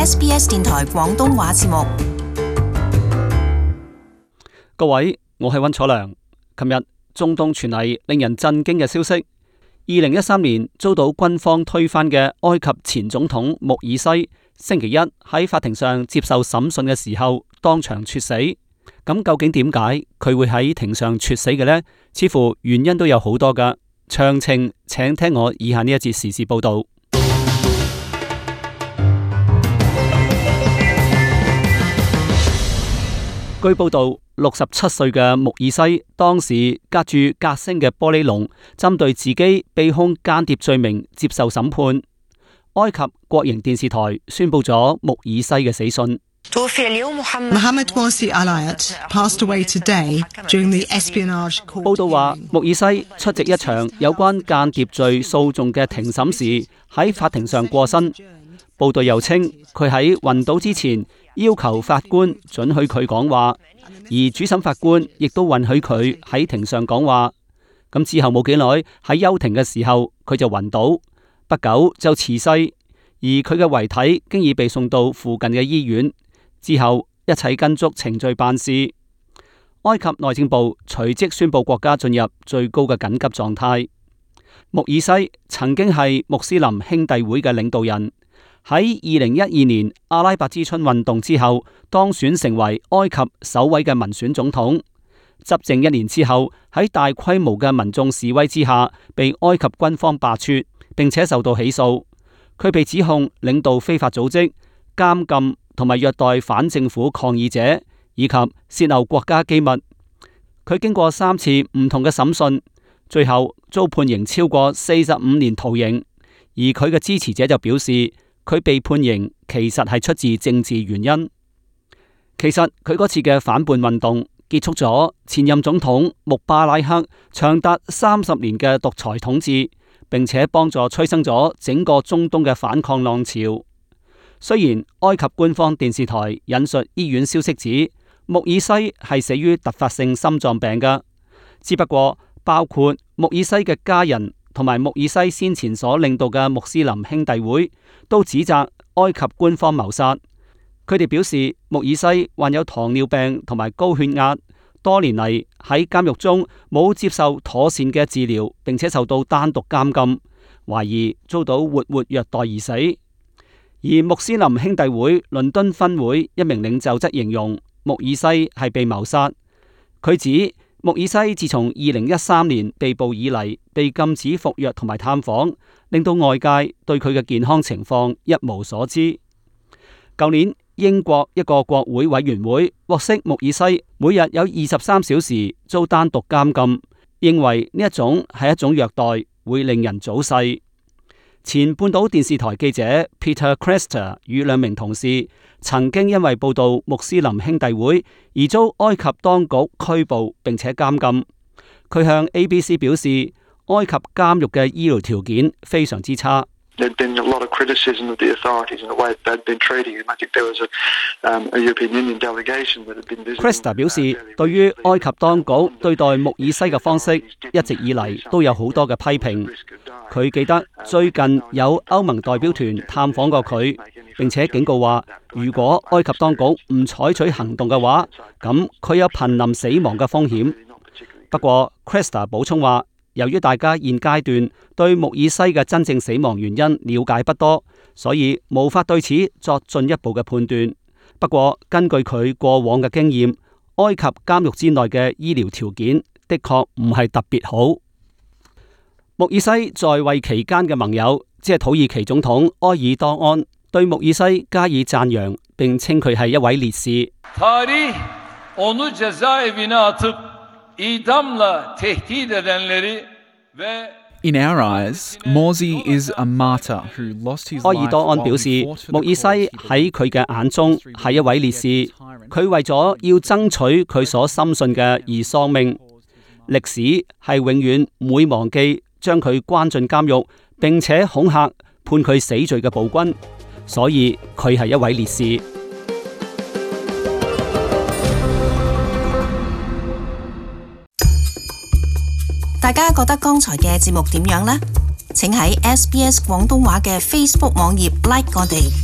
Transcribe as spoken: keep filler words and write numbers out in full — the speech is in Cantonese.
S B S 電台廣東話節目。各位，我係溫楚良。琴日中東傳嚟令人震驚嘅消息，二零一三年遭到軍方推翻嘅埃及前總統穆爾西，星期一喺法庭上接受審訊嘅時候當場猝死。咁究竟點解佢會喺庭上猝死嘅呢？似乎原因都有好多噶。詳情請聽我以下呢一節時事報道。據報道，六十七歲嘅穆爾西當時隔住隔聲嘅玻璃籠，針對自己被控間諜罪名接受審判。埃及國營電視台宣布咗穆爾西嘅死訊。Mohammed Morsi Alayat passed away today during the espionage court. 報道話，穆爾西出席一場有關間諜罪訴訟嘅庭審時，喺法庭上過身。報道又稱，佢喺暈倒之前要求法官准許佢講話，而主審法官亦都允許佢喺庭上講話。咁之後冇幾耐，喺休庭嘅時候，佢就暈倒，不久就辭世，而佢嘅遺體經已被送到附近嘅醫院。之後一切跟足程序辦事。埃及內政部隨即宣布國家進入最高嘅緊急狀態。穆爾西曾經係穆斯林兄弟會嘅領導人，喺二零一二年阿拉伯之春運動之後當選成為埃及首位嘅民選總統。執政一年之後，喺大規模嘅民眾示威之下，被埃及軍方罷黜，並且受到起訴。佢被指控領導非法組織、監禁同埋虐待反政府抗議者，以及洩漏國家機密。佢經過三次唔同嘅審訊，最後遭判刑超過四十五年徒刑。而佢嘅支持者就表示，佢被判刑其實係出自政治原因。其實佢嗰次嘅反叛運動結束咗前任總統穆巴拉克長達三十年嘅獨裁統治，並且幫助催生咗整個中東嘅反抗浪潮。雖然埃及官方電視台引述醫院消息指穆爾西係死於突發性心臟病㗎，只不過包括穆爾西嘅家人同埋穆爾西先前所領導嘅穆斯林兄弟會都指責埃及官方謀殺。佢哋表示穆爾西患有糖尿病同埋高血壓，多年嚟喺監獄中冇接受妥善嘅治療，並且受到單獨監禁，懷疑遭到活活虐待而死。而穆斯林兄弟會倫敦分會一名領袖則形容穆爾西係被謀殺。佢指穆爾西自從二零一三年被捕以嚟，被禁止服藥同埋探訪，令到外界對佢嘅健康情況一無所知。舊年英國一個國會委員會獲悉穆爾西每日有二十三小時遭單獨監禁，認為呢一種係一種虐待，會令人早逝。前半島電視台記者 Peter Cresta 與兩名同事曾經因為報道穆斯林兄弟會而遭埃及當局拘捕並且監禁。佢向 A B C 表示，埃及監獄嘅醫療條件非常之差。Cresta 表示，對於埃及當局對待穆爾西嘅方式，一直以嚟都有好多嘅批評。佢記得最近有歐盟代表團探訪過佢，並且警告話，如果埃及當局唔採取行動嘅話，咁佢有瀕臨死亡嘅風險。不過 Cresta 補充話，由於大家現階段對穆爾西嘅真正死亡原因了解不多，所以無法對此作進一步嘅判斷。不過根據佢過往嘅經驗，埃及監獄之內嘅醫療條件的確唔係特別好。穆爾西在位期間嘅盟友，即係土耳其總統埃爾多安，對穆爾西加以讚揚，並稱佢係一位烈士。In our eyes, Morsi is a martyr who lost his life. 埃爾多安表示，穆爾西喺佢嘅眼中係一位烈士，佢為咗要爭取佢所深信嘅而喪命。歷史係永遠唔會忘記將佢關進監獄，並且恐嚇判佢死罪嘅暴君，所以佢係一位烈士。大家覺得剛才嘅節目點樣呢？請喺 S B S 廣東話嘅 Facebook 網頁 like 我哋。